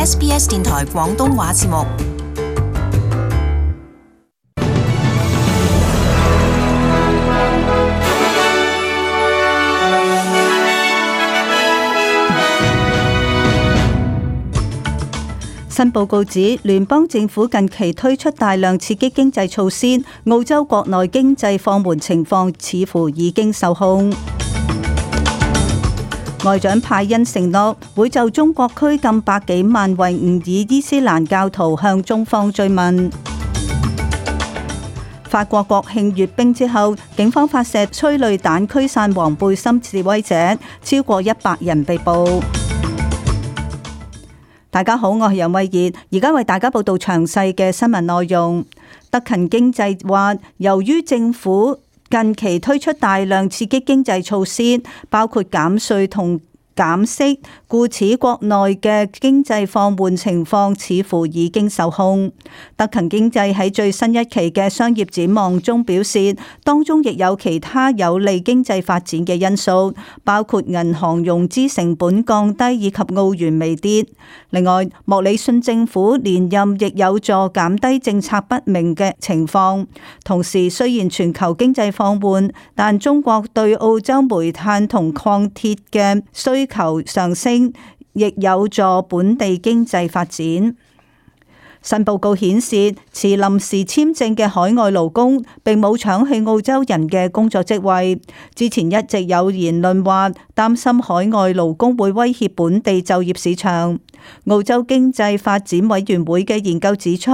SBS 電台廣東話節目。新報告指，聯邦政府近期推出大量刺激經濟措施，澳洲國內經濟放緩情況似乎已經受控。外長派恩承諾會就中國拘禁百幾萬維吾爾伊斯蘭教徒向中方追問。法國國慶閱兵之後，警方發射催淚彈驅散黃背心示威者，超過100人被捕。大家好，我係楊慧儀，而家為大家報道詳細嘅新聞內容。德勤經濟話，由於政府近期推出大量刺激經濟措施，包括減稅同減息，故此國內嘅經濟放緩情況似乎已經受控。德勤經濟喺最新一期嘅商業展望中表示，當中亦有其他有利經濟發展嘅因素，包括銀行融資成本降低以及澳元微跌。另外，莫里遜政府連任亦有助減低政策不明嘅情況。同時，雖然全球經濟放緩，但中國對澳洲煤炭同礦鐵嘅需求上升，亦有助本地經濟發展。新報告顯示，持臨時簽證嘅海外勞工並冇搶去澳洲人嘅工作職位。之前一直有言論話，擔心海外勞工會威脅本地就業市場。澳洲經濟發展委員會嘅研究指出，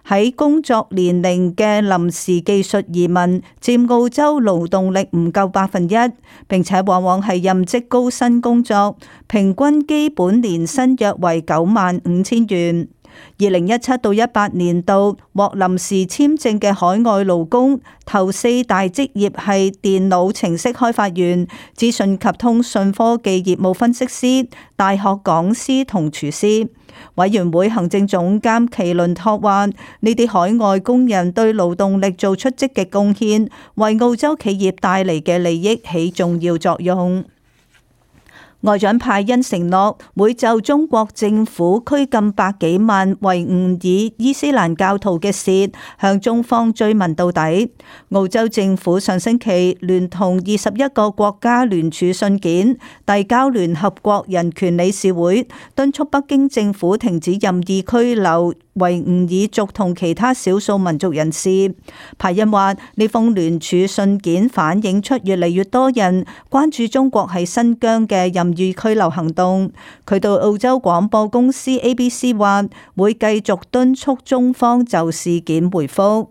喺工作年齡嘅臨時技術移民佔澳洲勞動力唔夠1%，並且往往係任職高薪工作，平均基本年薪約為95,000元。2017到18年度獲臨時簽證嘅海外勞工，頭4大職業係電腦程式開發員、資訊及通訊科技業務分析師、大學講師同廚師。委員會行政總監奇倫托話，呢啲海外工人對勞動力做出積極貢獻，為澳洲企業帶嚟嘅利益起重要作用。外長派恩承諾會就中國政府拘禁百幾萬維吾爾伊斯蘭教徒嘅事向中方追問到底。澳洲政府上星期聯同21個國家聯署信件，遞交聯合國人權理事會，敦促北京政府停止任意拘留維吾爾族同其他少數民族人士。派恩話，呢封聯署信件反映出越嚟越多人關注中國喺新疆嘅任意拘留行動。佢對澳洲廣播公司 ABC 話，會繼續敦促中方就事件回覆。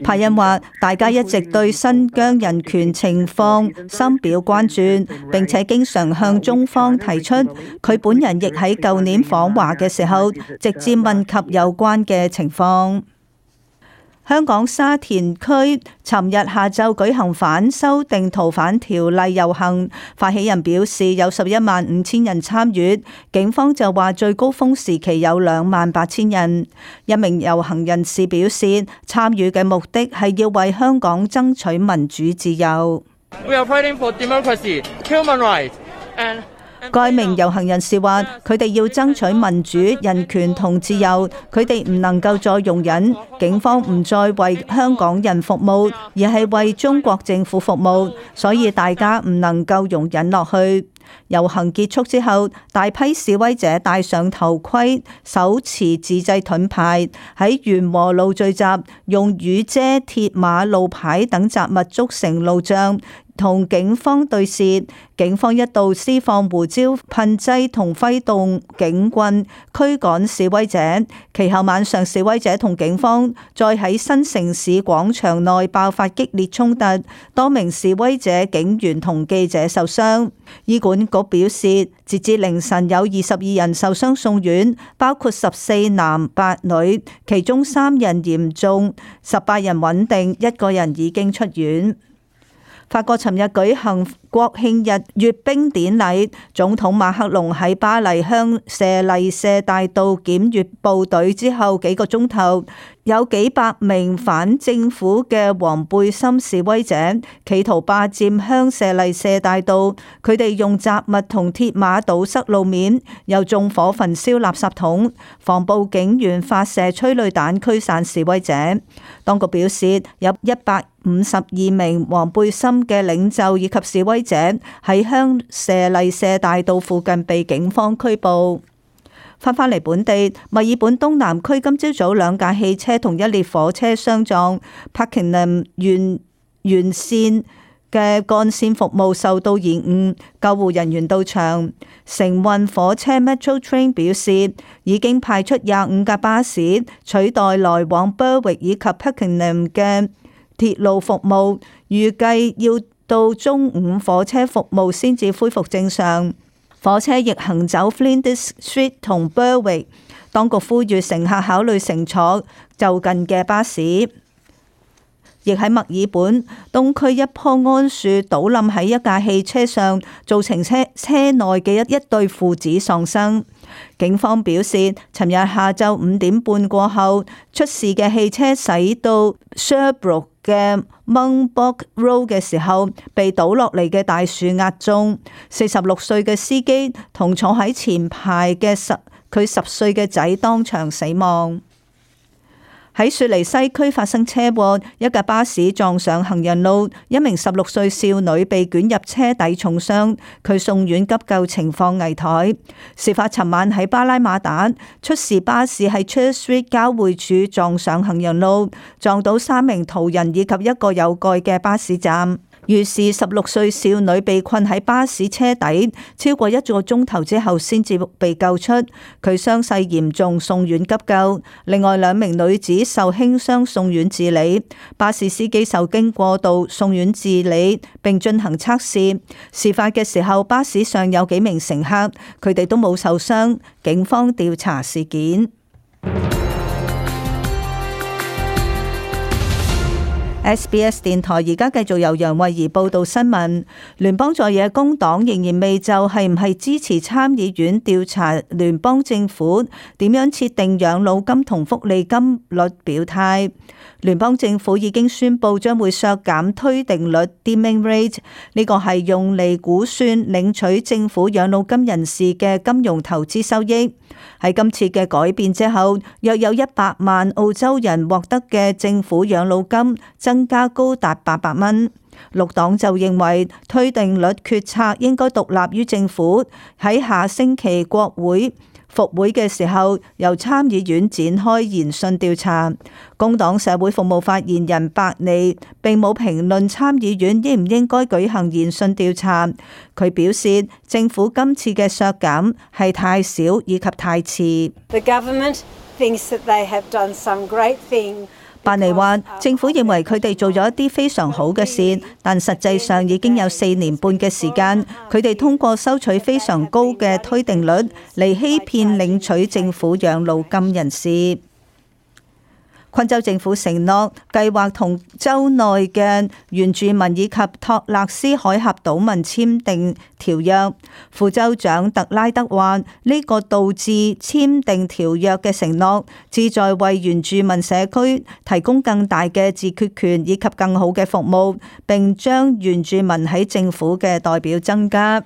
派恩話，大家一直對新疆人權情況深表關注，並且經常向中方提出。佢本人亦喺舊年訪華嘅時候，直接問及有關嘅情況。香港沙田區尋日下晝舉行反修訂逃犯條例遊行，發起人表示有115000人參與，警方就話最高峰時期有28000人。一名遊行人士表示，參與嘅目的係要為香港爭取民主自由。We are fighting for democracy, human rights, and該名遊行人士話：佢哋要爭取民主、人權同自由，佢哋唔能夠再容忍警方唔再為香港人服務，而係為中國政府服務，所以大家唔能夠容忍落去。遊行結束之後，大批示威者戴上頭盔，手持自製盾牌，喺元和路聚集，用雨遮、鐵馬、路牌等雜物築成路障，同警方對峙。警方一度施放胡椒噴劑同揮動警棍驅趕示威者，其後晚上示威者同警方再喺新城市廣場內爆發激烈衝突，多名示威者、警員同記者受傷。醫管局表示，截至凌晨有22人受傷送院，包括14男8女，其中3人嚴重，18人穩定，1個人已經出院。法國尋日舉行國慶日閱兵典禮，總統馬克龍喺巴黎香榭麗舍大道檢閱部隊之後幾個鐘頭，有幾百名反政府嘅黃背心示威者企圖霸佔香榭麗舍大道，佢哋用雜物同鐵馬堵塞路面，又縱火焚燒垃圾桶，防暴警員發射催淚彈驅散示威者。當局表示有152名黃背心嘅領袖以及示威者喺香榭麗舍大道附近被警方拘捕。翻返嚟本地，墨爾本東南區今朝早2架汽車同一列火車相撞，帕金林沿線嘅幹線服務受到延誤，救護人員到場。承運火車 Metro Train 表示，已經派出25架巴士取代來往 Berwick 以及帕金林嘅鐵路服務，預計要到中午火車服務先至恢復正常。火車亦行走 Flinders Street 同 Berwick， 當局呼籲乘客考慮乘坐就近嘅巴士。亦喺墨爾本東區一棵桉樹倒冧喺一架汽車上，造成車內嘅一對父子喪生。警方表示，尋日下晝5點半過後，出事嘅汽車駛到 Sherbrooke 嘅 Monbulk Road 嘅時候，被倒落嚟嘅大樹壓中。46歲嘅司機同坐喺前排嘅佢10歲嘅仔當場死亡。喺雪梨西區發生車禍，一架巴士撞上行人路，一名16歲少女被捲入車底重傷，佢送院急救情況危殆。事發尋晚喺巴拉馬達，出事巴士喺 Church Street 交匯處撞上行人路，撞到3名途人以及一個有蓋嘅巴士站。於是16歲少女被困喺巴士車底超過1個鐘頭之後先至被救出，佢傷勢嚴重，送院急救。另外2名女子受輕傷送院治理，巴士司機受驚過度，送院治理並進行測試。事發嘅時候，巴士上有幾名乘客，佢哋都冇受傷，警方調查事件。SBS 電台而家繼續由楊慧儀報道新聞。聯邦在野工黨仍然未就係唔係支持參議院調查聯邦政府點樣設定養老金同福利金率表態。聯邦政府已經宣布將會削減推定率 （Deeming Rate）， 呢個係用嚟估算領取政府養老金人士嘅金融投資收益。喺今次嘅改變之後，約有100萬澳洲人獲得嘅政府養老金增加高達800蚊。綠黨就認為推定率決策應該獨立於政府，喺下星期國會復會嘅時候，由參議院展開研訊調查。工黨社會服務發言人白尼並冇評論參議院應唔應該舉行研訊調查。佢表示，政府今次嘅削減係太少以及太遲。The government thinks that they have done some great thing. 白尼話：政府認為佢哋做咗一啲非常好嘅事，但實際上已經有4年半嘅時間，佢哋通過收取非常高嘅推定率嚟欺騙領取政府養老金人士。昆州政府承諾計劃同州內嘅原住民以及托勒斯海峽島民簽訂條約。副州長特拉德話：呢個導致簽訂條約嘅承諾，旨在為原住民社區提供更大嘅自決權以及更好嘅服務，並將原住民喺政府嘅代表增加。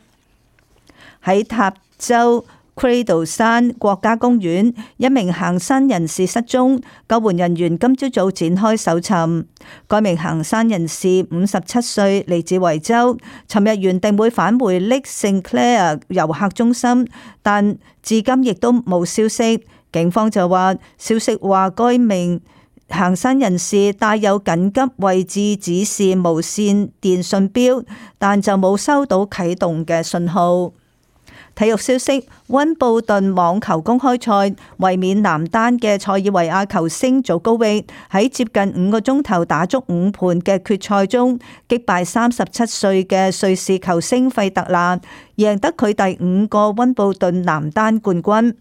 喺塔州Cradle 山國家公園，一名行山人士失蹤，救援人員今朝早展開搜尋。該名行山人士57歲，嚟自維州，尋日原定會返回 Lake St Clair 遊客中心，但至今亦都冇消息。警方就話，消息話該名行山人士帶有緊急位置指示無線電信錶，但就冇收到啟動嘅信號。體育消息：溫布頓網球公開賽，衛冕男單嘅塞爾維亞球星祖高域喺接近5個鐘頭打足5盤嘅決賽中，擊敗37歲嘅瑞士球星費特拿，贏得佢第5個溫布頓男單冠軍，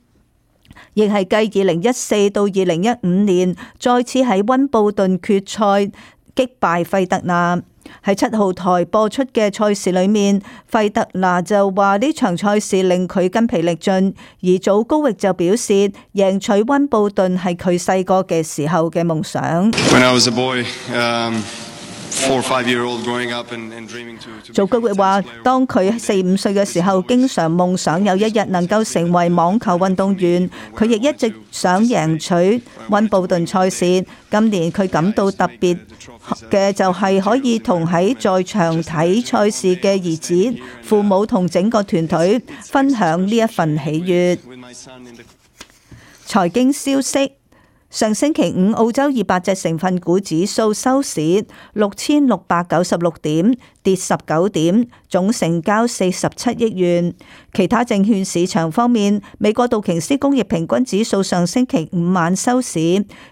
亦係繼2014到2015年再次喺溫布頓決賽擊敗費特拿。喺7號台播出嘅賽事裏面，費德拿就話呢場賽事令佢筋疲力盡，而祖高域就表示贏取溫布頓係佢細個嘅時候嘅夢想。祖高域話，當佢4、5歲嘅時候，經常夢想有一日能夠成為網球運動員。佢亦一直想贏取溫布頓賽事。今年佢感到特別嘅就係可以同喺在場睇賽事嘅兒子、父母同整個團隊分享呢一份喜悅。財經消息。上星期五，澳洲200隻成分股指數收市6696點，跌19點，總成交47億元。其他證券市場方面，美國道瓊斯工業平均指數上星期五晚收市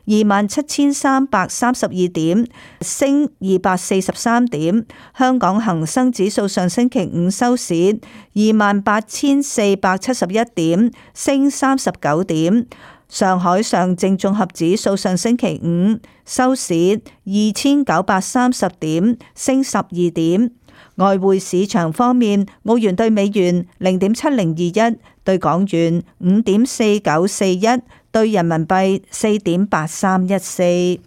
27332點，升243點。香港恒生指數上星期五收市28471點，升39點。上海上證綜合指數上星期五收市2930點，升12點。外匯市場方面，澳元兌美元0.7021，兌港元5.4941，兌人民幣4.8314。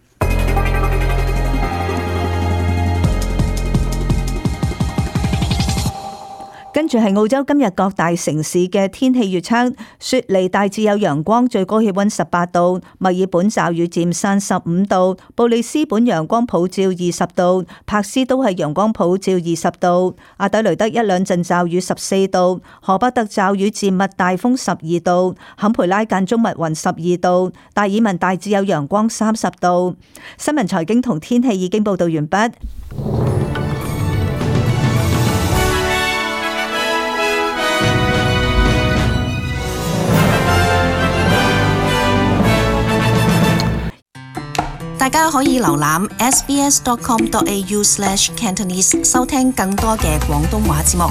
跟住係澳洲今日各大城市嘅天氣預測：雪梨大致有陽光，最高氣溫18度；墨爾本驟雨漸散15度；布里斯本陽光普照20度；柏斯都係陽光普照20度；阿德雷德一兩陣驟雨14度；荷伯特驟雨漸密大風12度；坎培拉間中密雲12度；達爾文大致有陽光30度。新聞財經同天氣已經報道完畢。大家可以瀏覽 sbs.com.au/cantonese 收聽更多嘅廣東話節目。